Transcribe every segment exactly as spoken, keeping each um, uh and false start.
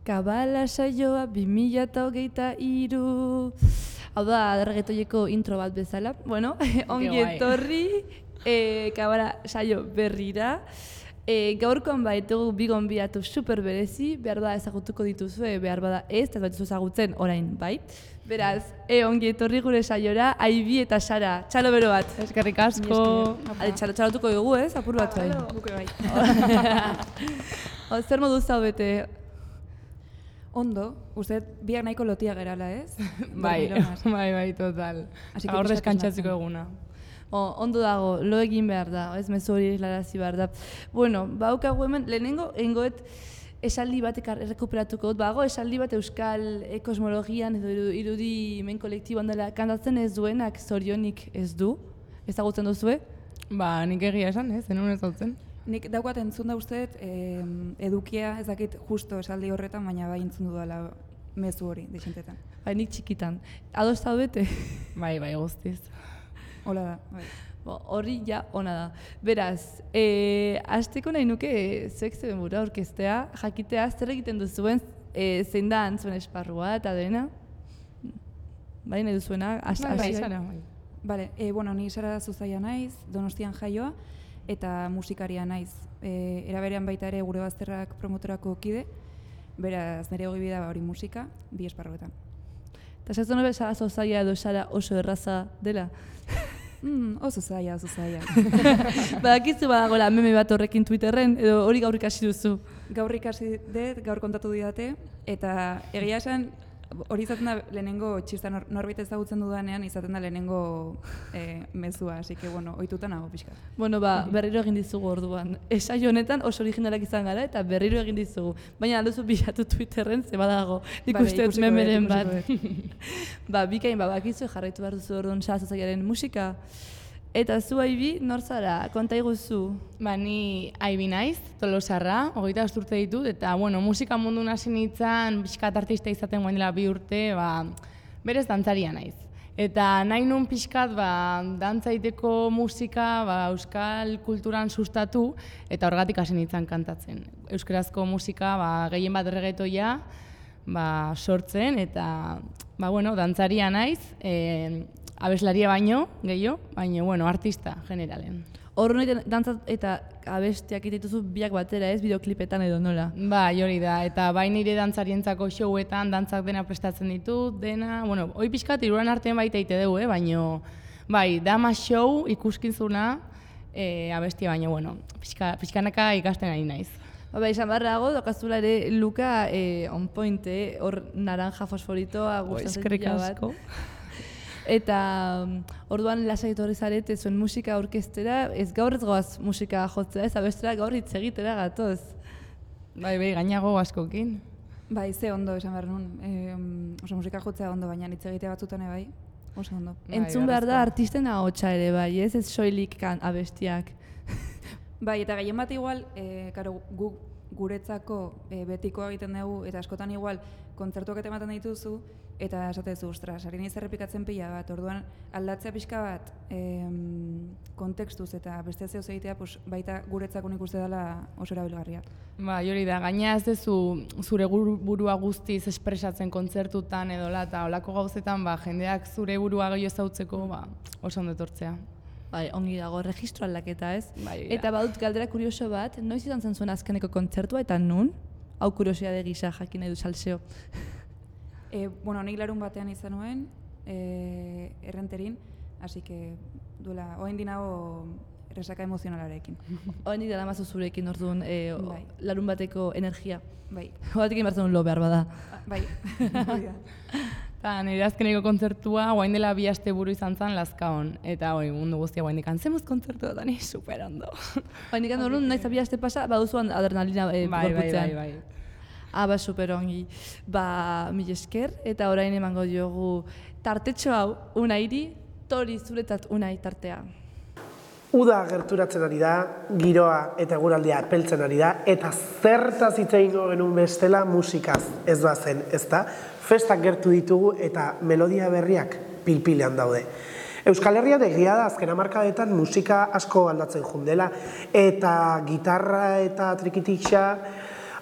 Kabala saioa bi mila hogeita hiru. Hau da, reggaetoieko intro bat bezala. Bueno, ongi etorri, e, Kabala saio berrira. E, gaurkoan baitugu bi gonbidatu super berezi, behar bada ezagutuko dituzue, behar bada ez, eta batuzu ezagutzen orain, bai? Beraz, e, ongi etorri gure saiora, Aibi eta Sara, txalo bero bat. Eskerrik asko. Ale, txalo txalotuko dugu, ez? Apur bat bai. Buke bai. O, zer modu zaudete? Ondo, uste biak nahiko lotia gerala, ez? Bai, bai, bai, total. Gaur deskantzatzeko eguna. O, ondo dago, lo egin behar da, ez mezu hori eslarazi behar da. Bueno, baukagu hemen, lehenengo, engoet esaldi batek errekuperatuko dut, bago esaldi bat euskal e, kosmologian edo irudi men kolektiboan dela kantatzen ez duenak zorionik ez du, ezagutzen duzue? Ba, nik egia esan, ez, zenun ezagutzen. Nik daukat entzun da usteet, eh, edukia ez dakit justo esaldi horretan, baina bai entzun dudala mezu hori, dixentetan. Bai, nik txikitan. Ados zaudete? Bai, bai, guztiz. Hola da, bai. Horri ja ona da. Beraz, e, hasteko nahi nuke zuek zeben bura orkestea, jakitea zer egiten duzuen, e, zein da antzuen esparrua eta dena? Bai, nahi duzuena? Bai, bai, Sara, bai. Bale, e, bueno, ni Sara Zuzaia naiz, Donostian jaioa, eta musikaria naiz. E, era berean baita ere gure bazterrak promotorako kide, beraz nire hogi bida hori musika, bi esparruetan. Eta zertzen hori Sara Zuzaia edo Sara oso erraza dela? Mm, oso zaila, oso zaila. Badakizu badagoela meme bat horrekin Twitterren, edo hori gaur ikasi duzu? Gaur ikasi dut, gaur kontatu didate, eta egia esan hori izaten da lehenengo txista nor, norbait ezagutzen dudanean izaten da lehenengo eh, mezua, así que bueno, ohituta nago pixka. Bueno, ba, berriro egin dizugu orduan. Esaio honetan oso originalak izan gara eta berriro egin dizugu. Baina alduzu bilatu Twitterren ze badago. Ikuste dut memeren bat. Ba, bikain ba, bakizu jarraitu behar duzu orduan Sara Zuzaiaren musika. Eta zu, Aibi, nor zara? Konta iguzu. Ba, ni Aibi naiz, Tolosarra, hogeita bost urte ditut, eta, bueno, musika mundu hasi nintzen, pixkat artista izaten guen dela bi urte, ba, berez dantzaria naiz. Eta nahi nun pixkat, ba, dantza egiteko musika, ba, euskal kulturan sustatu, eta horregatik hasi nintzen kantatzen. Euskarazko musika, ba, gehien bat reggaetoia, ba, sortzen, eta, ba, bueno, dantzaria naiz, e, abeslaria baino, gehiago, baina, bueno, artista, generalen. Horren egiten dantza eta abestiak egitetuzu biak batera ez, bideoklipetan edo nola? Ba, hori da, eta bai nire dantzarientzako showetan, dantzak dena prestatzen ditut, dena, bueno, hoi pixkat iruran artean baita egite dugu, eh? Baina, bai, dama show ikuskizuna, e, abestia baina, bueno, pixka, pixkanaka ikasten ari naiz. Ba, bai, esan barrago, dokazula ere Luka eh, on point, eh? Hor naranja fosforitoa gustatzen dira bat. Eta orduan lasai etorri zarete zuen musika orkestera, ez gaur ez goaz musika jotzea, ez abestera gaur hitz egitera gatoz. Bai, bai, gainago askokin. Bai, ze ondo esan behar nun. E, oso musika jotzea ondo, baina hitz egitea batzutan bai, oso ondo. Entzun behar da artisten ahotsa ere bai, ez ez soilik kan abestiak. Bai, eta gehien bat igual, e, karo, gu guretzako e, betikoa egiten dugu, eta askotan igual kontzertuak eta ematen dituzu, eta esatezu, ostras, ari nahi zerrepikatzen pila bat, orduan aldatzea pixka bat em, kontekstuz eta beste zehoz egitea pues, baita guretzako nik uste dela oso erabilgarria. Ba, hori da, gaina ez dezu zure burua guztiz espresatzen kontzertutan edola eta olako gauzetan ba, jendeak zure burua gehiago ezautzeko ba, oso ondo etortzea. Bai, ongi dago, registro aldaketa ez. Bai, eta badut galdera kurioso bat, noiz izan zen zuen azkeneko kontzertua eta nun? Hau kuriosidade gisa jakin nahi du salseo. E, bueno, nik larun batean izan nuen, e, errenterin, así que duela, oain dinago resaka emozionalarekin. Oain dira damazu zurekin orduan e, bai. Larun bateko energia. Bai. Horatik egin behar lo behar bada. Bai, Eta nire azkeneko kontzertua, guain dela bi aste buru izan zen Lazkaon. Eta hori, mundu guztia guain dikan, zemuz kontzertua da ni super ondo. Guain dikan orduan, nahiz bi aste pasa, baduzuan adrenalina e, bai, gorputzean. bai, bai, bai. Ah, ba, super ongi. Ba, mil esker, eta orain emango diogu tartetxo hau, Unairi, Tori zuretzat Unai tartea. Uda gerturatzen ari da, giroa eta eguraldia epeltzen ari da, eta zertaz hitz egingo genuen bestela musikaz ez da zen, ezta? Festak gertu ditugu eta melodia berriak pilpilean daude. Euskal Herrian egia da azken hamarkadetan musika asko aldatzen jundela, eta gitarra eta trikitixa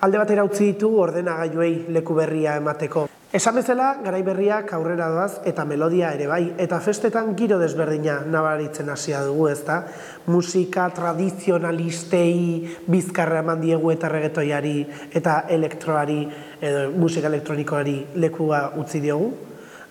alde batera utzi ditu ordenagailuei leku berria emateko. Esan bezala, garai berriak aurrera doaz eta melodia ere bai, eta festetan giro desberdina nabaritzen hasia dugu, ezta? Musika tradizionalistei bizkarra eman diegu eta reggaetoiari eta elektroari edo musika elektronikoari lekua utzi diogu.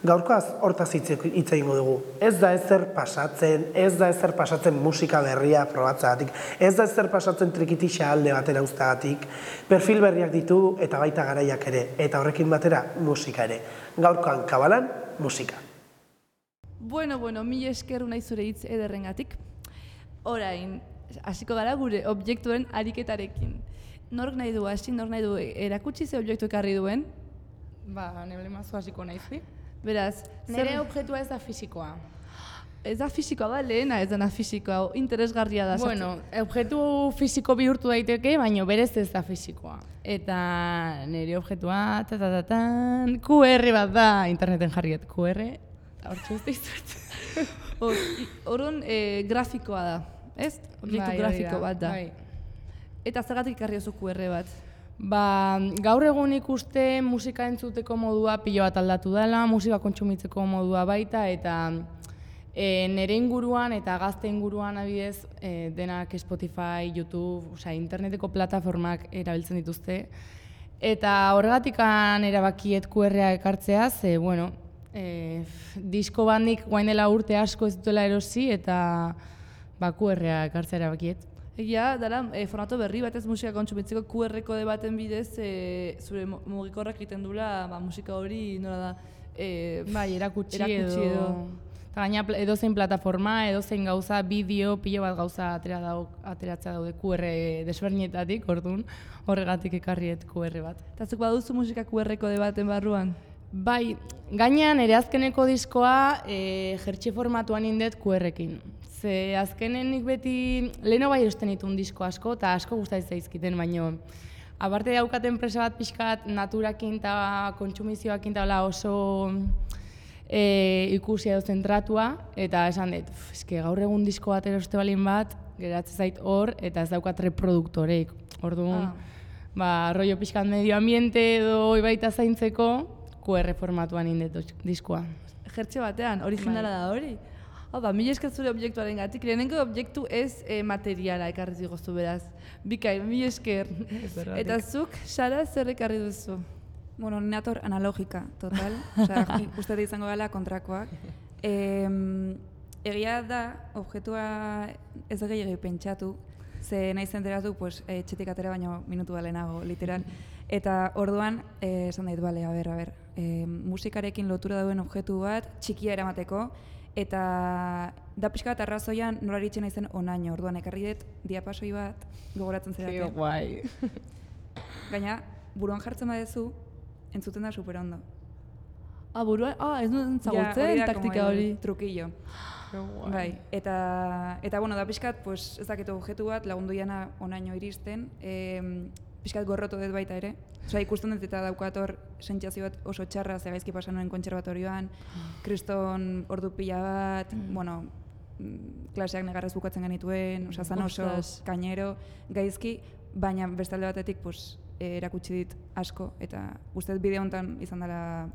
Gaurkoaz hortaz hitz egingo dugu. Ez da ezer pasatzen, ez da ezer pasatzen musika berria probatzeagatik, ez da ezer pasatzen trikitixa alde batera uzteagatik, perfil berriak ditu eta baita garaiak ere, eta horrekin batera musika ere. Gaurkoan kabalan, musika. Bueno, bueno, mila esker nahi zure hitz ederrengatik. Orain, hasiko gara gure objektuen ariketarekin. Nork nahi du hasi, nork nahi du erakutsi ze objektu ekarri duen? Ba, neble mazu hasiko naizi. Beraz, nire objektua ez da fisikoa. Ez da fisikoa da, lehena ez da fisikoa, interesgarria da. Bueno, objektu fisiko bihurtu daiteke, baina berez ez da fisikoa. Eta nire objektua, tatatatan, Q R bat da, interneten jarriet Q R, eta hor txuz dizut. Horren grafikoa da, ez? Objektu grafiko bat da. Eta zergatik ikarri oso Q R bat? Ba, gaur egun ikuste musika entzuteko modua pilo bat aldatu dela, musika kontsumitzeko modua baita, eta e, nire inguruan eta gazte inguruan abidez e, denak Spotify, YouTube, osea, interneteko plataformak erabiltzen dituzte. Eta horregatikan erabakiet Q R-a ekartzea, ze, bueno, e, disko bandik guain dela urte asko ez dutela erosi, eta ba, Q R-a ekartzea erabakiet. Egia, dara, e, formato berri batez musika kontsumitzeko Q R kode baten bidez e, zure mugikorrak egiten dula ba, musika hori nola da e, bai, erakutsi, erakutsi edo. Eta gaina edozein plataforma, edozein gauza, bideo, pilo bat gauza atera dago, ateratzea daude Q R desberdinetatik, orduan horregatik ekarriet Q R bat. Eta zuk baduzu musika Q R kode baten barruan? Bai, gainean ere azkeneko diskoa e, jertxe formatuan indet Q R-ekin. Ze azkenen nik beti, leheno bai erosten ditun disko asko, eta asko gustatzen zaizkiten, baino aparte daukaten enpresa bat pixkat naturakin eta kontsumizioakin eta oso e, ikusia edo zentratua, eta esan dut, eske gaur egun disko bat eroste balin bat, geratzen zait hor, eta ez daukat reproduktoreik. Orduan, ah. ba, rollo pixkat medio ambiente edo baita zaintzeko, Q R formatuan indet diskoa. Jertxe batean, originala da hori? Hau da, mila esker zure objektuaren gatik, lehenengo objektu ez e, materiala ekarri zigoztu beraz. Bikain, mila esker. Eta zuk, Sara, zer ekarri duzu? Bueno, nator analogika, total. Osea, uste izango gala kontrakoak. E, egia da, objektua ez da gehiago pentsatu, ze nahi zenteratu, pues, e, txetik atera baino minutu balenago, literal. Eta orduan, e, esan dait, bale, a ber, a ber, e, musikarekin lotura dauen objektu bat, txikia eramateko, eta da pixka bat arrazoian nola eritzen naizen onaino, orduan ekarri dut diapasoi bat gogoratzen zeraten. Kio guai. Gaina, buruan jartzen badezu, entzuten da super ondo. Ah, buruan? Ah, ez duen zagutzen ja, taktika hori. Trukillo. Bai, eta, eta bueno, da pixkat, pues, ez dakitu objektu bat lagundu jana onaino iristen, e, pixkat gorrotu dut baita ere. Osa, ikusten dut eta daukat hor sentsazio bat oso txarra, ze gaizki pasan nuen kontserbatorioan, kriston ordu pila bat, mm. bueno, klaseak negarrez bukatzen genituen, osa, zan oso kainero, gaizki, baina bestalde batetik pues, erakutsi dit asko, eta uste dut bideo honetan izan dela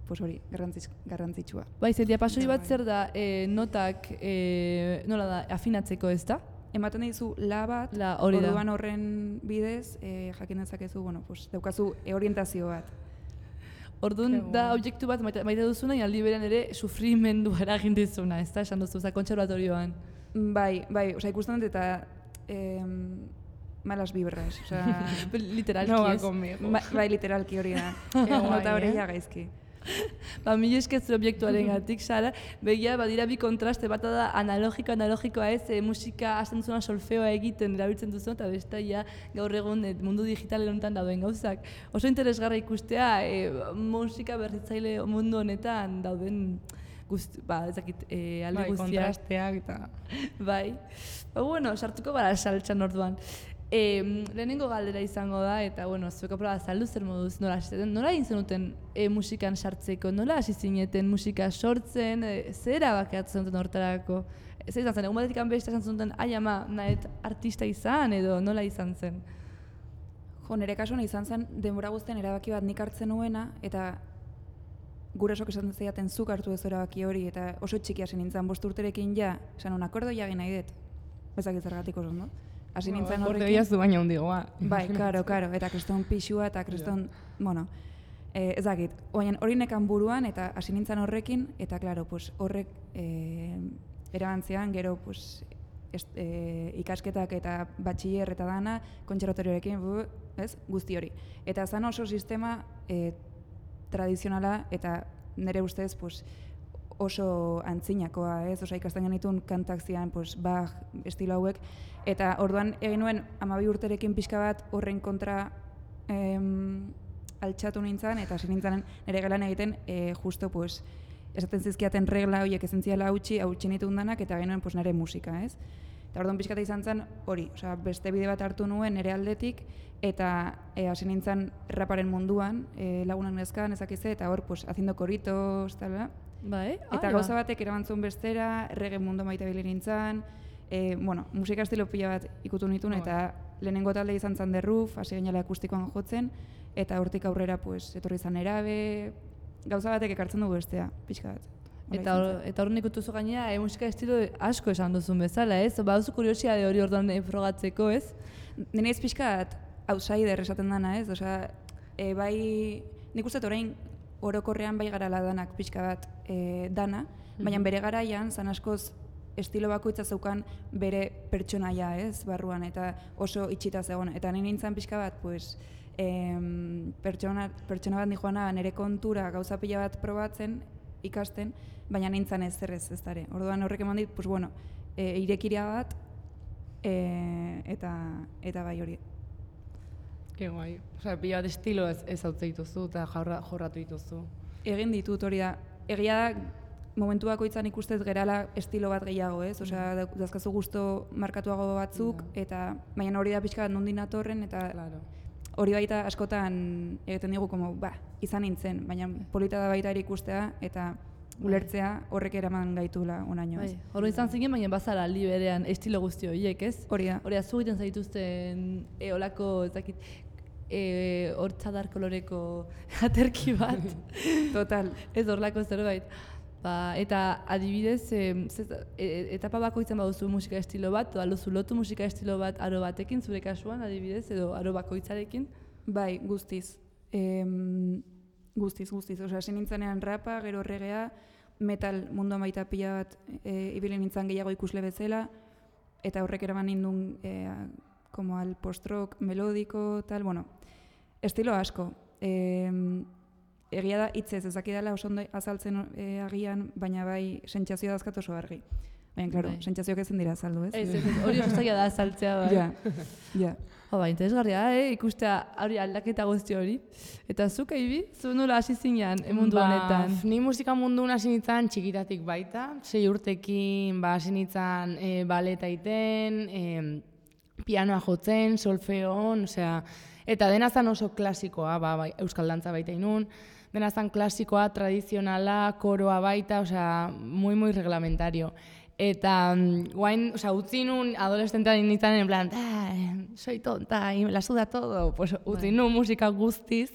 pues hori, garrantzitsua. Bai, ze diapasoi bat zer da, e, notak, e, nola da, afinatzeko ez da? Ematen dizu la bat, la, orduan horren bidez, e, jakin dezakezu, bueno, pues, daukazu orientazio bat. Orduan da objektu bat maite, maite duzuna, aldi berean ere sufrimendu eragin dizuna, ez da, esan duzu, za kontserbatorioan. Bai, bai, oza, ikusten dut eta em, malas vibras, oza... literalki no, ez. Ba, bai, literalki hori da. Nota hori ja gaizki. Ba, mila eskertzu objektuaren gatik, Sara, begia, badira bi kontraste, bata da analogiko, analogikoa ez, e, musika hasten duzuna solfeoa egiten erabiltzen duzu, eta besta ja gaur egun e, mundu digitalen honetan dauden gauzak. Oso interesgarra ikustea, e, musika berritzaile mundu honetan dauden guzti, ba, ezakit, e, alde bai, guztiak. Bai, kontrasteak eta... bai. Ba, bueno, sartuko gara saltxan orduan. E, lehenengo galdera izango da, eta bueno, zueko proba azaldu zer moduz, nola hasiten, nola egin zenuten e, musikan sartzeko, nola hasi zineten musika sortzen, e, zer erabakiatzen zenuten hortarako? Zer izan zen, egun batetik beste esan zenuten, ai ama, nahet artista izan edo nola izan zen? Jo, nire kasuan izan zen denbora guztien erabaki bat nik hartzen nuena, eta gurasok esan zeiaten zuk hartu ez erabaki hori, eta oso txiki hasi nintzen bost urterekin ja, esan un akordo jagin nahi dut. Bezak izargatik oso, no? Hasi nintzen horrekin. Horte biazu baina hundigoa. Bai, karo, karo, eta kriston pixua, eta kriston, bueno, eh, ez dakit, hori nekan buruan, eta hasi nintzen horrekin, eta klaro, pues, horrek eh, erabantzean, gero, pues, est, eh, ikasketak eta batxiller eta dana, kontserbatorioarekin, ez, guzti hori. Eta zan oso sistema eh, tradizionala, eta nire ustez, pues, oso antzinakoa, ez? Osa, ikasten genitun kantak zian, pues, Bach, estilo hauek, eta orduan egin nuen hamabi urterekin pixka bat horren kontra em, altxatu nintzen, eta hasi nintzen nire gelan egiten, e, justo, pues, esaten zizkiaten regla horiek ezentziala hautsi, hautsi nituen danak, eta genuen, pues, nire musika, ez? Eta orduan pixkata izan zen hori, osea, beste bide bat hartu nuen nire aldetik, eta e, hasi nintzen raparen munduan, e, lagunak nezkan, ezakize, eta hor, pues, haciendo koritos, tal, Bai, eta gauza batek erabantzun bestera, reggae mundu maite bile nintzen, e, bueno, musika estilo pila bat ikutu nituen, eta lehenengo talde izan zen The Roof, hasi gainala akustikoan jotzen, eta hortik aurrera, pues, etorri izan erabe, gauza batek ekartzen dugu bestea, pixka bat. Eta hor, eta hor nik utuzu gainera, e, musika estilo asko esan duzun bezala, ez? Ba, duzu kuriosia de hori orduan frogatzeko, ez? Nire ez pixka bat, outsider esaten dana, ez? Osea, e, bai, nik uste orain orokorrean bai garala danak pixka bat e, dana, baina bere garaian, zan askoz estilo bakoitza zeukan bere pertsonaia, ez, barruan, eta oso itxita zegoen. Eta nire nintzen pixka bat, pues, em, pertsona, pertsona bat nijoana nire kontura gauza pila bat probatzen, ikasten, baina nintzen ez zerrez ez dara. Orduan horrek eman dit, pues, bueno, e, irekiria bat, e, eta, eta bai hori. Ke guai. Osea, pila bat estilo ez, ez hautze dituzu eta jorra, jorratu dituzu. Egin ditut hori da. Egia da, momentu bakoitzan ikustez gerala estilo bat gehiago, ez? Osea, dazkazu gusto markatuago batzuk, eta baina hori da pixka bat nondin atorren, eta Claro. hori baita askotan egiten digu, como, ba, izan nintzen, baina polita da baita ere ikustea, eta ulertzea horrek eraman gaitula onaino, ez? Bai, hori izan zinen, baina bazara aldi berean estilo guzti horiek, ez? Hori da. Hori azu egiten zaituzten e, olako, ez dakit, e, hortzadar koloreko aterki bat. Total. Ez horlako zerbait. Ba, eta adibidez, e, zez, e, etapa bakoitzen baduzu musika estilo bat, edo aluzu lotu musika estilo bat aro batekin, zure kasuan adibidez, edo aro bakoitzarekin? Bai, guztiz. Em, guztiz, guztiz. Osea, hasi nintzenean rapa, gero reggaea, metal munduan baita pila bat e, ibili nintzen gehiago ikusle bezala, eta horrek eraman nindun e, como al post-rock, melodiko, tal, bueno, estilo asko. E, egia da, hitzez ezakidala oso ondo azaltzen e, agian, baina bai sentsazioa dazkat oso argi. Baina, klaro, Bai. sentsazioak ezin dira azaldu, ez? Ez, ez, ez, hori oso zaila da azaltzea, bai. Ja, ja. Oh, ba, interesgarria da, eh? Ikustea hori aldaketa guzti hori. Eta zuk, Aibi, zu nola hasi zinean mundu honetan? Ni musika munduan hasi nintzen txikitatik baita, sei urtekin ba, hasi nintzen e, baleta iten, e, pianoa jotzen, solfeon, osea, eta dena zan oso klasikoa, ba, ba, euskal dantza baita inun, dena zan klasikoa, tradizionala, koroa baita, osea, muy, muy reglamentario. Eta guain, osea, utzi nun adolescentean nintzen en plan, soy tonta, y me la suda todo, pues utzi nun musika guztiz,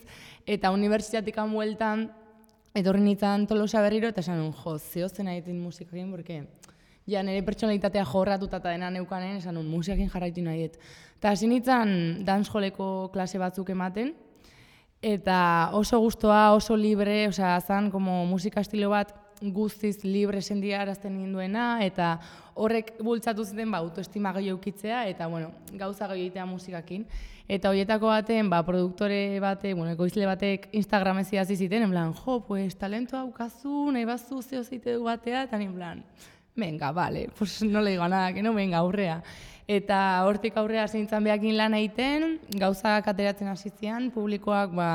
eta unibertsitatekan bueltan, etorri nintzen Tolosa berriro, eta esan nun, jo, zehozen egiten musikakin, porque ja, nire pertsonalitatea jorratuta eta dena neukanen, esan nun, musikakin jarraitu nahi dut. Eta hasi nintzen dancehalleko klase batzuk ematen, eta oso gustoa, oso libre, osea, zan, como musika estilo bat, guztiz libre sendia arazten ninduena, eta horrek bultzatu zuten ba, autoestima gehiago eukitzea, eta bueno, gauza gehiago egitea musikakin. Eta horietako baten, ba, produktore bate, bueno, ekoizle batek Instagramez idatzi ziten, en plan, jo, pues, talentoa daukazu, nahi bazu zeo zeite du batea, eta en plan, venga, vale, pues no le digo nada, que no, venga, aurrea. Eta hortik aurrea zintzen behakin lan egiten, gauzak ateratzen hasi zian, publikoak, ba,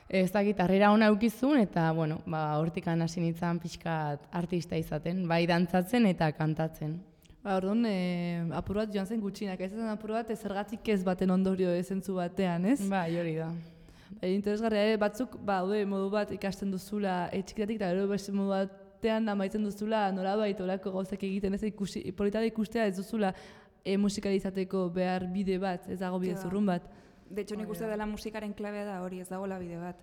ez dakit, harrera ona eukizun, eta, bueno, ba, hortikan hasi nintzen pixkat artista izaten, bai dantzatzen eta kantatzen. Ba, orduan, e, apur bat joan zen gutxinak, ez zen apur bat, zergatik ez baten ondorio ezentzu batean, ez? Bai, hori da. Ba, interesgarria, eh? Batzuk, ba, ode, modu bat ikasten duzula etxikitatik, eta gero beste modu batean amaitzen duzula nolabait olako gauzak egiten, ez ikusi, polita da ikustea ez duzula e, musikalizateko behar bide bat, ez dago bide zurrun bat. De hecho, nik uste dela musikaren klabea da hori, ez dagoela bide bat.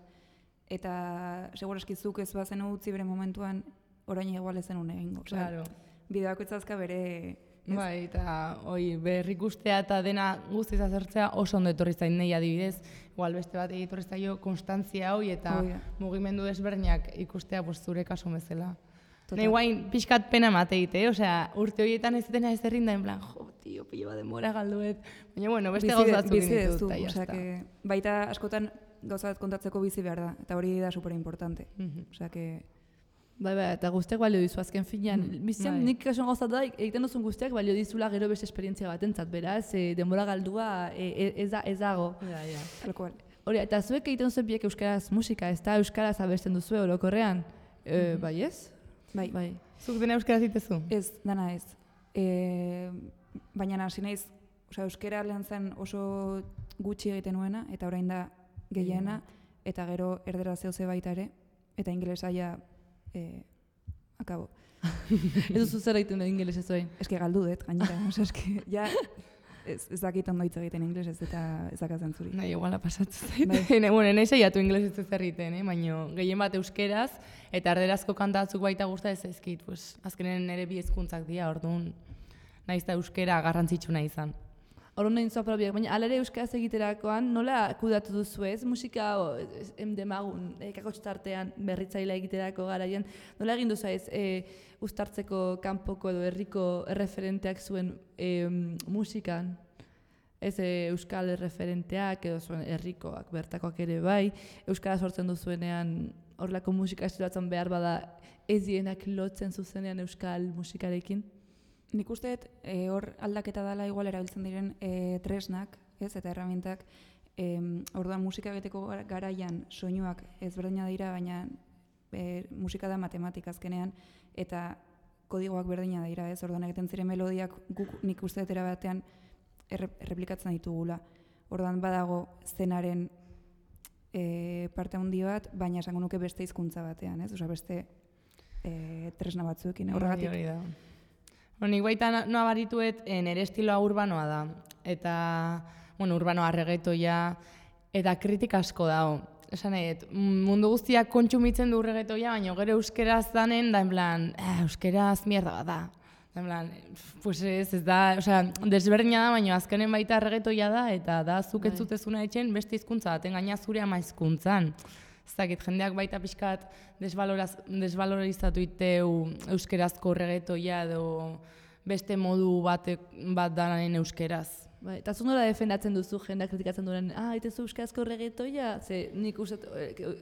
Eta seguraski zuk ez bazen utzi bere momentuan, orain igual ezen une egingo. Claro. Bide bakoitzazka bere... Bai, eta hoi, berrikustea eta dena guztiz azertzea oso ondo etorri zain nahi adibidez. Igual beste bat egitorri zaio konstantzia hoi eta oh, yeah. mugimendu desberdinak ikustea pues, zure kasu bezala. Nahi guain pixkat pena emate egite, eh? Osea, urte horietan ez dena ez errin da, en plan, jo, tio, pilo bat demora galduet. Baina, bueno, beste gauzatzuk dinitut, eta jazta. Baita askotan gauzat kontatzeko bizi behar da, eta hori da super importante. Mm-hmm. Osea, que... Bai, bai, eta guztiak balio dizu azken finean. Mm, Bizian, bai. Nik kasun gauzat da, egiten duzun guztiak balio dizula gero beste esperientzia batentzat, beraz, e, denbora galdua e, ez, da, ez dago. Ja, ja. Tal cual. Hori, eta zuek egiten duzuen biek euskaraz musika, ez da euskaraz abesten duzu orokorrean, e, mm-hmm. bai ez? Bai. bai. Zuk dena euskaraz ditezu? Ez, dana ez. E, baina hasi naiz, osea, euskara lehen zen oso gutxi egiten nuena, eta orain da gehiena, eta gero erdera zehose baita ere, eta ingelesa ja eh, akabo. Ez duzu zer egiten da ingeles ez oin? Ez que galdu dut, gainera, osea, ez que, ja, ez, ez dakit ondo hitz egiten ingelesez eta ez dakatzen zuri. Nahi, iguala pasatzen zait. Bai. Bueno, nahi saiatu ingelesez ez egiten, eh? Baina gehien bat euskeraz, eta erderazko kantatzuk baita gusta ez ezkit, pues, azkenen ere bi hezkuntzak dira, orduan, nahiz da euskera garrantzitsuna izan. Horren nahi zua probiak, baina alere euskaraz egiterakoan nola kudatu duzu ez? Musika emdemagun, e, kakotxtartean berritzailea egiterako garaian, nola egin duzu ez e, uztartzeko kanpoko edo herriko erreferenteak zuen e, musikan? Ez e, euskal erreferenteak edo zuen herrikoak, bertakoak ere bai, euskara sortzen duzuenean horrelako musika estilatzen behar bada ez dienak lotzen zuzenean euskal musikarekin? Nik usteet e, hor aldaketa dela igual erabiltzen diren e, tresnak, ez, eta erramintak, e, orduan musika egiteko garaian soinuak ezberdina dira, baina e, musika da matematika azkenean, eta kodigoak berdina dira, ez, orduan egiten ziren melodiak guk nik usteet erabatean erre, erreplikatzen ditugula. Orduan badago zenaren e, parte handi bat, baina esango nuke beste hizkuntza batean, ez, osea beste e, tresna batzuekin, horregatik. Hori da. Nik baita noa barituet, nire estiloa urbanoa da. Eta, bueno, urbanoa reggaetoia, eta kritika asko dago. Esan nahi, mundu guztiak kontsumitzen du reggaetoia, baina gero euskeraz danen, da en plan, eh, euskeraz mierda bat da. Da en plan, pues ez, ez da, osea, desberdina da, baina azkenen baita reggaetoia da, eta da zuk ez zutezuna etxen beste hizkuntza baten gaina zure ama hizkuntzan. Ez dakit, jendeak baita pixkat desvalorizatu iteu euskerazko reggaetoia edo beste modu bat, bat danaren euskeraz. Bai, eta zu nola defendatzen duzu jendeak kritikatzen duen, ah, itezu euskarazko reggaetoia? Ze nik uste,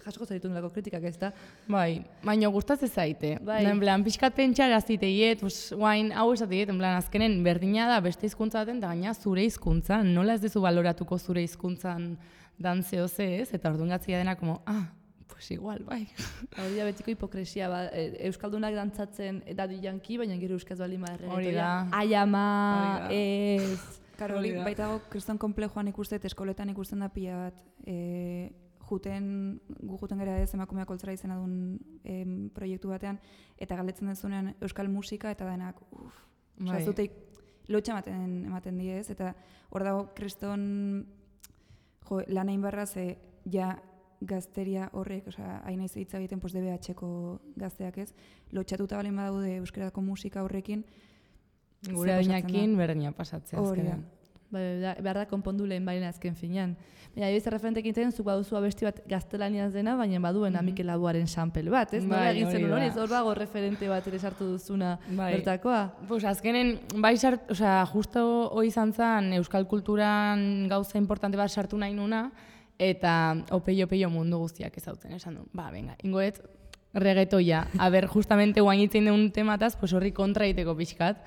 jasoko zaritu nolako kritikak ez da? Bai, baina gustatzen zaite. Bai. En plan, pixkat pentsara ziteiet, pues, guain hau esateiet, en plan, azkenen berdina da beste hizkuntza baten, eta gaina zure hizkuntzan, nola ez dezu baloratuko zure hizkuntzan dan zehose ez, eta orduan gatzia dena, como, ah, pues igual, bai. Hori da betiko hipokresia, ba, euskaldunak dantzatzen Daddy Yankee, baina gero euskaz bali madre. Hori da. Ai ama, ez... Karo, hori baitago kriston konplejoan ikusten, eskoletan ikusten da pila bat, e, juten, gu juten gara ez emakumeak koltzara izena duen e, proiektu batean, eta galdetzen dezunean euskal musika, eta denak, uff, bai. Zuteik lotxa ematen, ematen die ez, eta hor dago kriston, jo, lan egin barra ze, ja, gazteria horrek, osea, hain naiz hitz egiten pues D B H-ko gazteak ez, lotxatuta balin badaude euskerazko musika horrekin, gure adinakin berdina pasatzea azkenean. Bai, behar da konpondu lehen baina azken finean. Baina, ebiz erreferentekin zen, zuk baduzu abesti bat gaztelaniaz dena, baina baduen mm-hmm. Mikel Laboaren sample bat, ez? Nola egin zen hori, hor dago referente bat ere sartu duzuna bai. Bertakoa? Pues azkenen, bai sart, osea, justo hori izan zen euskal kulturan gauza importante bat sartu nahi nuna, eta opeio-opeio mundu guztiak ezautzen, esan du, ba, venga, ingoet, reggaetoia, a ber, justamente guainitzen deun temataz, pues horri kontra egiteko pixkat,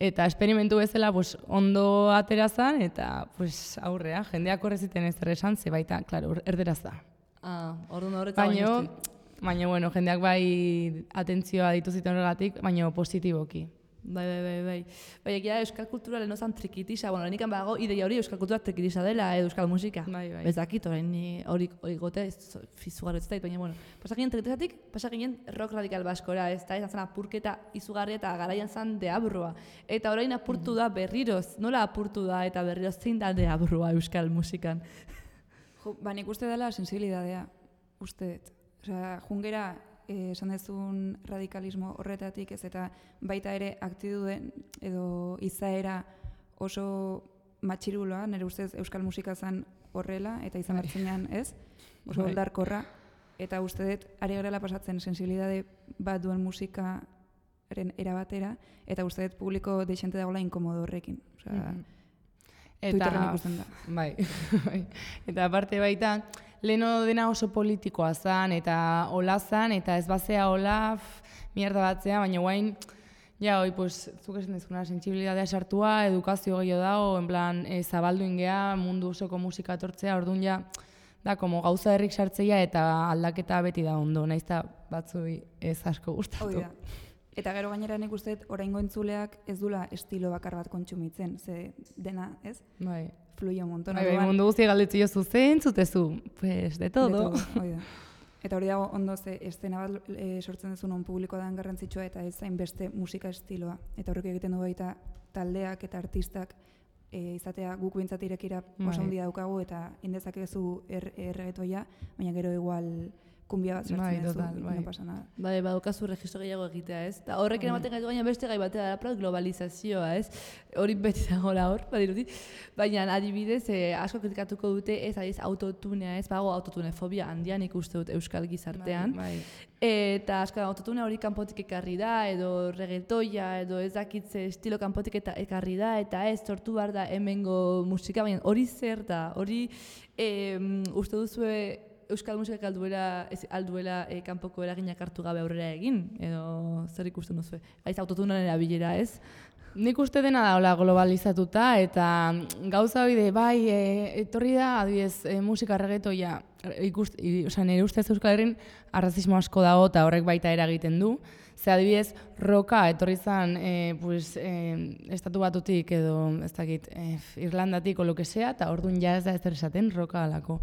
eta esperimentu bezala pues, ondo aterazan, eta pues, aurrea, jendeak horreziten ez esan, ze baita, klaro, erderaz da. Ah, orduan horretan baina, baina, bueno, jendeak bai atentzioa dituziten horregatik, baina positiboki. Bai, bai, bai, bai. Bai, egia euskal kultura lehen ozan trikitisa, bueno, lehenikan bago, ideia hori euskal kultura trikitisa dela, edo euskal musika. Bai, bai. Ez dakit, orain hori gote, fizugarro ez da, baina, bueno, pasaginen trikitisatik, pasaginen rock radikal baskora, ez da, izan zen apurketa izugarria eta garaian zen deabrua. Eta orain apurtu da berriroz, nola apurtu da eta berriroz zein da deabrua euskal musikan? Jo, ba, nik uste dela sensibilidadea, uste. Osea, jungera, eh, esan dezun radikalismo horretatik ez, eta baita ere aktituden edo izaera oso matxiruloa, nire ustez euskal musika zen horrela, eta izan hartzenean ez, oso oldarkorra, eta uste dut, ari garela pasatzen sensibilidade bat duen musikaren erabatera, eta uste dut publiko deixente dagoela inkomodo horrekin. Osea, mm-hmm. Twitterren ikusten da. Bai, bai. Eta aparte baita, leheno dena oso politikoa zan, eta hola zan, eta ez bazea hola, mierda batzea, baina guain, ja, hoi, pues, zuk esan dezuna, sensibilidadea sartua, edukazio gehiago dago, en plan, e, zabaldu ingea, mundu osoko musika etortzea, orduan ja, da, como gauza herrik sartzeia eta aldaketa beti da ondo, naiz eta batzui ez asko gustatu. Hoi da. Eta gero gainera nik uste dut, oraingo entzuleak ez dula estilo bakar bat kontsumitzen, ze dena, ez? Bai. Fluio un montón. Bai, bai, mundu guztia galdetzi jozu zen, zutezu, pues, de todo. De todo, hoi da. Eta hori dago ondo ze estena bat e, sortzen duzu non publikoa den garrantzitsua eta ez zain beste musika estiloa. Eta horrek egiten du baita taldeak eta artistak e, izatea guk bintzat irekira oso handia daukagu eta indezakezu er, erregetoia, baina gero igual kumbia bat sartzen duzu, no pasa nada. Bai, badukazu registro gehiago egitea, ez? Ta horrekin ematen gaitu gaina beste gai batea da, globalizazioa, ez? Hori beti dagoela hor, badirudi. Baina adibidez, eh, asko kritikatuko dute ez adiz autotunea, ez? Bago autotunefobia handian ikuste dut euskal gizartean. Bai, bai. Eta asko autotune hori kanpotik ekarri da, edo reggaetoia, edo ez dakitze estilo kanpotik eta ekarri da, eta ez sortu behar da hemengo musika, baina hori zer da, hori eh, uste duzue euskal musikak alduela, ez, alduela e, kanpoko eraginak hartu gabe aurrera egin, edo zer ikusten duzu? Aiz autotunan erabilera, ez? Nik uste dena da hola globalizatuta, eta gauza hori de, bai, e, etorri da, adibidez, e, musika reggaetoia, ikust, i, oza, nire ustez Euskal Herrin arrazismo asko dago, eta horrek baita eragiten du. Ze adibidez, roka etorri zan, e, pues, e, estatu batutik edo, ez dakit, e, Irlandatik o lo que sea, eta orduan ja ez da ez esaten roka alako.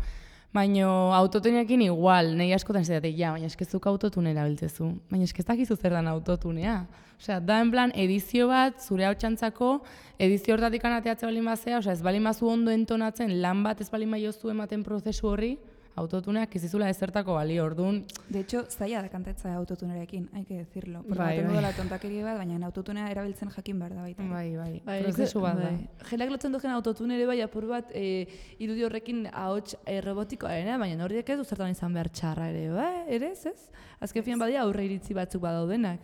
Baina autotuneekin igual, nahi askotan zedatek, ja, baina eskezuk autotune erabiltzezu. Baina eskezakizu zer dan autotunea. Osea, da en plan edizio bat, zure hau txantzako, edizio hortatik anateatze balin bazea, osea, ez balin bazu ondo entonatzen, lan bat ez balin baiozu ematen prozesu horri, autotuneak izizula ezertako bali, orduan. De hecho, zaila da kantatzea autotunerekin, hay que decirlo. Porque bai, baten bai. dela tontakeri bat, baina autotunea erabiltzen jakin behar da baita. Bai, bai, Bai, prozesu bat da. bai. Jelak lotzen duzen autotune ere bai apur bat e, irudi horrekin ahots e, robotikoa, baina horiek ez duzertan izan behar txarra ere, bai, ere ez ez? Azken fian badia aurre iritzi batzuk badaudenak.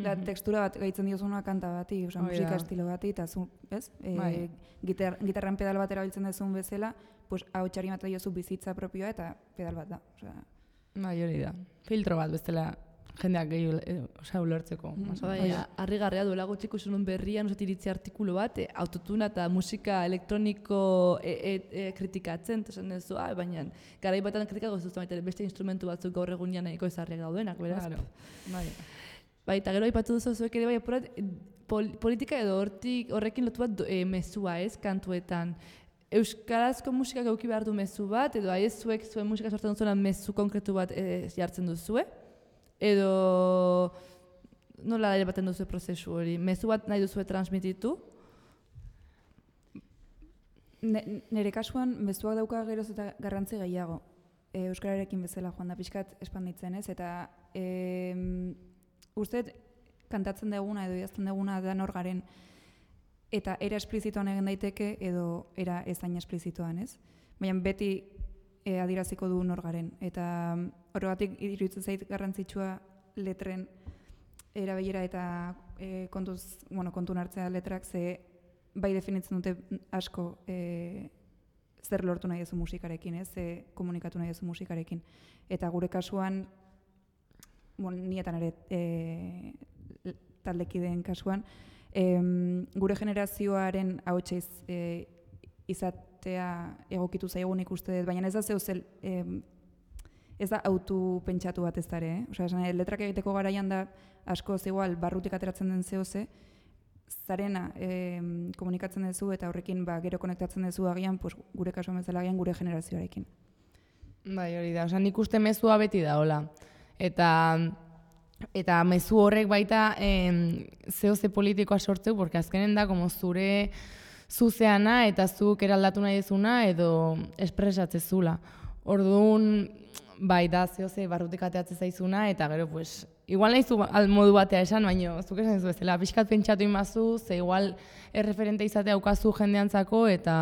Da, textura bat gaitzen diozuna kanta bati, oza, Hoi musika da. estilo bati, eta zu, ez? E, Bai. gitar, gitarran pedal bat erabiltzen duzun bezala, pues, ahotsari bat diozu bizitza propioa eta pedal bat da. Osea, Bai, hori da. Filtro bat bestela jendeak gehiago, e, osea, ulertzeko. Bai, harrigarria duela gutxi ikusi nuen berrian, osat iritzi artikulu bat, e, autotuna eta musika elektroniko e, e, e, kritikatzen, eta esan duzu, ah, baina garai batan kritikako zuzten baita beste instrumentu batzuk gaur egunean nahiko ezarriak daudenak, beraz. Claro. Bai. Bai, eta gero aipatu duzu zuek ere bai apurat, pol, politika edo hortik horrekin lotu bat e, mezua, ez, kantuetan. Euskarazko musikak eduki behar du mezu bat, edo aiz zuek zuen musika sortzen duzuena mezu konkretu bat e, jartzen duzue, edo nola ere baten duzu prozesu hori, mezu bat nahi duzue transmititu? Ne, nire kasuan, mezuak dauka geroz eta garrantzi gehiago. E, Euskararekin bezala joan da pixkat espanditzen ez, eta e, uste kantatzen duguna edo idazten duguna da nor garen, eta era esplizitoan egin daiteke edo era ezain esplizitoan, ez? Baina beti e, adiraziko du nor garen, eta horregatik iruditzen zait garrantzitsua letren erabilera eta e, kontuz, bueno, kontun hartzea letrak, ze bai definitzen dute asko e, zer lortu nahi duzu musikarekin, ez? Ze komunikatu nahi duzu musikarekin. Eta gure kasuan, bueno, nietan ere e, taldekideen kasuan, e, gure generazioaren ahotsa e, izatea egokitu zaigun ikuste dut, baina ez da zeu zel, e, ez da autu pentsatu bat ez dara, eh? Osea, esan, letrak egiteko garaian da asko igual barrutik ateratzen den zehoze, zarena e, komunikatzen duzu eta horrekin ba, gero konektatzen duzu agian, pues, gure kasuan bezala agian gure generazioarekin. Bai, hori da. Osea, nik uste mezua beti da, hola. Eta eta mezu horrek baita eh, zehoze politikoa sortzeu, porque azkenen da, como zure zuzeana eta zuk eraldatu nahi dezuna edo espresatzezula. Orduan, bai, da zehose barrutik ateatzen zaizuna, eta gero, pues, igual nahi zu modu batea esan, baina zuk esan zu bezala, pixkat pentsatu imazu, ze igual erreferente izatea aukazu jendeantzako, eta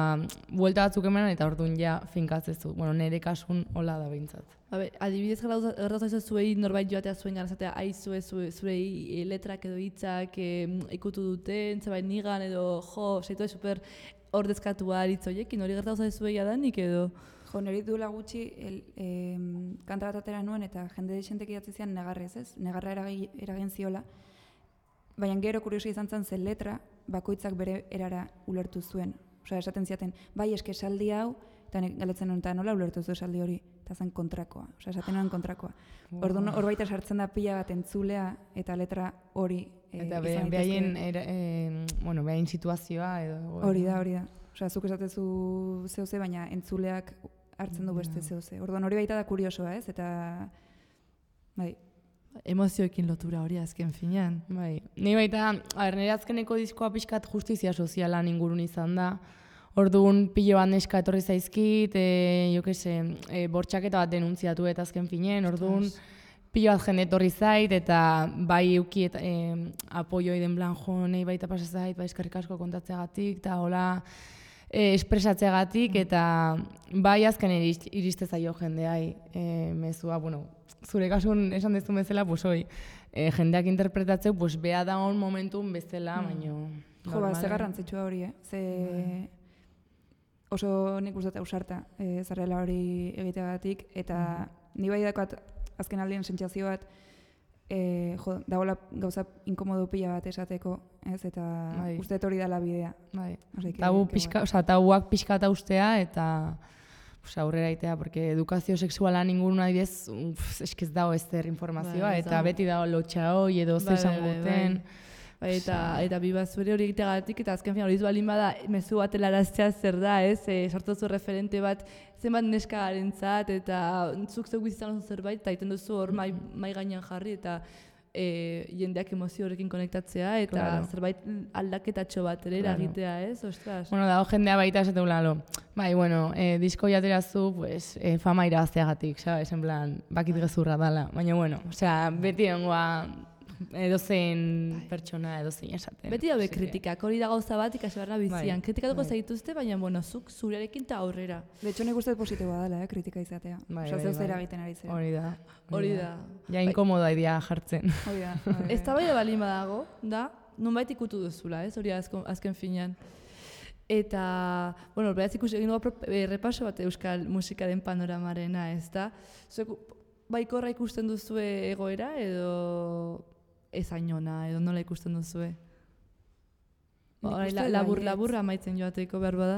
buelta batzuk emanen, eta orduan ja finkatzezu. Bueno, nire kasun hola da behintzat. Habe, adibidez gertatu zuei norbait joatea zuen gara, zatea, aizue zurei letrak edo hitzak ikutu duten, zebait nigan edo, jo, zaitu super ordezkatua aritzoiekin, hori gertatu zuei adanik edo? Jo, niri duela gutxi el, eh, kanta bat atera nuen eta jende desentek idatzi zian negarrez, ez? Negarra eragi, eragin ziola. Baina gero kuriosi izan zen zen letra, bakoitzak bere erara ulertu zuen. Osea, esaten ziaten, bai eske esaldi hau, eta galetzen nuen, eta nola ulertu zu esaldi hori, eta zen kontrakoa. Osea, esaten nuen kontrakoa. Wow. Orduan hor baita sartzen da pila bat entzulea eta letra hori eh, eta be, behaien, eh, bueno, behaien situazioa edo... Hori da, hori da. Osea, zuk esatezu zehose, baina entzuleak hartzen du beste zehose. Orduan hori baita da kuriosoa, ez? Eta, bai. Emozioekin lotura hori azken finean. Bai. Ni baita, aber, nire azkeneko diskoa pixkat justizia sozialan ingurun izan da. Orduan pilo bat neska etorri zaizkit, e, jo kese, e, bortxaketa bat denuntziatu eta azken finean, orduan pilo bat jende etorri zait, eta bai euki eta e, apoioi den plan jo, nahi baita pasa zait, bai eskerrik asko kontatzeagatik, eta hola e, espresatzeagatik, eta bai azken irist, iriste zaio jendeai e, mezua, bueno, zure kasun esan dezu bezala, pues hoi, e, jendeak interpretatzeu, pues beha da on momentun bezala, mm. baino... Jo, ba, ze garrantzitsua hori, eh? Ze... Mm. Oso nik uste ausarta e, zarela hori egiteagatik, eta mm. ni bai dakoat azken aldien sentsazio bat, e, jo, dagoela gauza inkomodo pila bat esateko, ez, eta bai. Uste hori dela bidea. Bai. Tabu pixka, oza, tabuak pixkata ustea, eta pues, aurrera itea, porque edukazio sexuala ningun adibidez, eskez dago ez zer informazioa, bai, eta beti dago lotxa hoi edo bai, zesan bai, guten. Bai. Bai, eta, eta biba zure hori egiteagatik, eta azken fin hori balin bada mezu bat helaraztea zer da, ez? E, sortzu referente bat zenbat neska garentzat, eta zuk zeu bizizan oso zerbait, eta iten duzu hor mai, mai gainean jarri, eta e, jendeak emozio horrekin konektatzea, eta claro. Zerbait aldaketatxo bat ere eragitea, claro. Ez? Ostras. Bueno, dago jendea baita esatu lalo. Bai, bueno, eh, disko jaterazu, pues, eh, fama irabazteagatik, sabes? En plan, bakit gezurra dala. Baina, bueno, osea, beti ongoa edozein pertsona, edozein esaten. Beti dabe kritikak, hori da gauza bat ikasibarra bizian. Bai, kritikatuko bai. Zaituzte, baina, bueno, zuk zurearekin eta aurrera. De hecho, nik uste positiboa dela, eh, kritika izatea. Bai, Osa, bai, zeu bai. zera egiten ari zera. Hori da. Hori da. Ja, inkomoda idea jartzen. Hori da. Ez da bai da balin badago, da, nonbait ikutu duzula, ez, hori azken, azken finean. Eta, bueno, beraz ikusi egin dugu repaso bat euskal musikaren panoramarena, ez da? Zuek, baikorra ikusten duzue egoera, edo... ezainona, edo nola ikusten duzue? La, labur, laburra amaitzen joateko behar bada?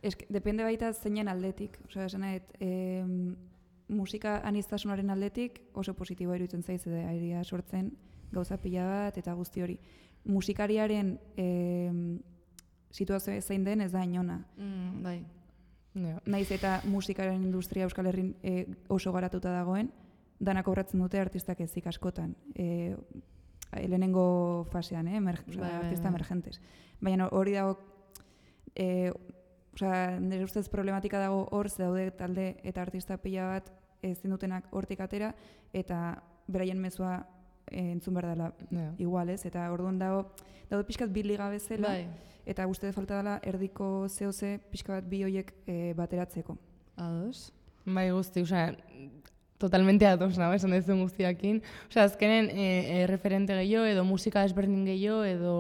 Eske, depende baita zeinen aldetik. Osea, esan nahi, e, musika aniztasunaren aldetik oso positiboa iruditzen zaiz, edo airea sortzen gauza pila bat eta guzti hori. Musikariaren e, situazio zein den ez da inona. Mm, bai. No. Naiz eta musikaren industria Euskal Herrin e, oso garatuta dagoen, danak obratzen dute artistak ezik askotan. E, lehenengo fasean, eh? Emer, bai, artista bai, emergentes. Baina hori dago, e, osea, nire ustez problematika dago hor, ze daude talde eta artista pila bat ezin dutenak hortik atera, eta beraien mezua e, entzun behar dela yeah. Igual, ez? Eta orduan dago, daude pixkat bi liga bezala, bai. Eta uste de falta dela erdiko zehose pixka bat bi hoiek e, bateratzeko. Ados? Bai, guzti, osea, totalmente ados, no? Esan duzun guztiakin. Osea, azkenen e, e, referente gehiago, edo musika desberdin gehiago, edo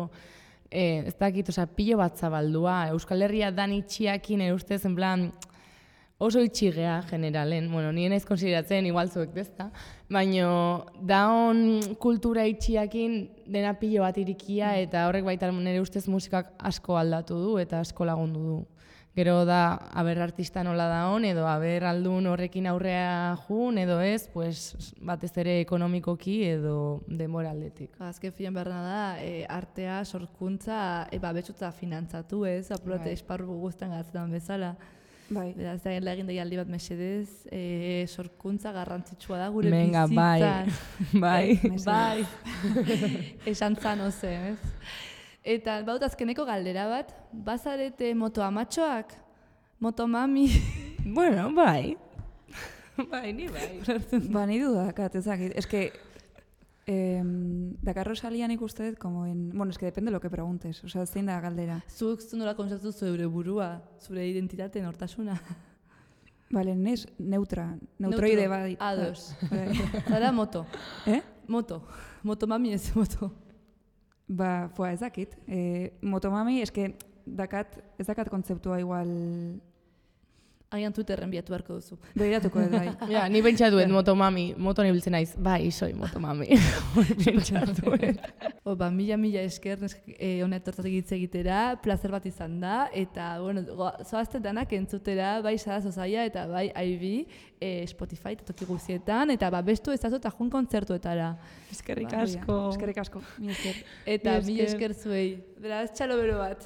e, ez dakit, osea, pilo bat zabaldua. Euskal Herria dan itxiakin, ere ustez, en plan, oso itxigea generalen. Bueno, nire naiz konsideratzen, igual zuek dezta. Baina, daon kultura itxiakin dena pilo bat irikia, eta horrek baita nire ustez musikak asko aldatu du, eta asko lagundu du. Gero da, aber artista nola da hon, edo aber aldun horrekin aurrea jun, edo ez, pues, batez ere ekonomikoki edo denbora aldetik. Azken filan beharna da, e, artea, sorkuntza, e, babetsutza finantzatu ez, apurote bai. Esparru guztan gaztetan bezala. Bai. Beraz, da egin da aldi bat mesedez, e, sorkuntza garrantzitsua da gure Menga, bizitzan. Bai, bai. Bai. Esan zan oze, ez? Eta baut azkeneko galdera bat, bazarete moto amatxoak? Moto mami? Bueno, bai. Bai, ni bai. Ba, ni dudakat, ezakit. Es que, eh, Dakar Rosalian ikuste dut, como en... Bueno, es que depende de lo que preguntes. O sea, zein da galdera. Zuk zu nola kontzertu zure burua, zure identitate nortasuna. Bale, nes, neutra. Neutroide bat. Ados. Zara moto. Eh? Moto. Moto mami ez moto. Ba, fua, ezakit. Eh, motomami, es que dakat, ez dakat kontzeptua igual... Agian Twitterren biatu beharko duzu. Begiratuko dut, bai. Ja, ni pentsatuen motomami, moton ibiltzen naiz. Bai, soy motomami. Pentsatuen. O, ba, mila mila esker eh, hona etortatik hitz egitera, plazer bat izan da, eta, bueno, zoazte danak entzutera, bai Sara Zozaia eta bai Aibi, eh, Spotify eta toki guzietan, eta ba, bestu ezazu eta jun kontzertuetara. Eskerrik Ba, asko. Eskerrik asko. Mi esker. Eta mila esker zuei. Beraz, txalo bero bat.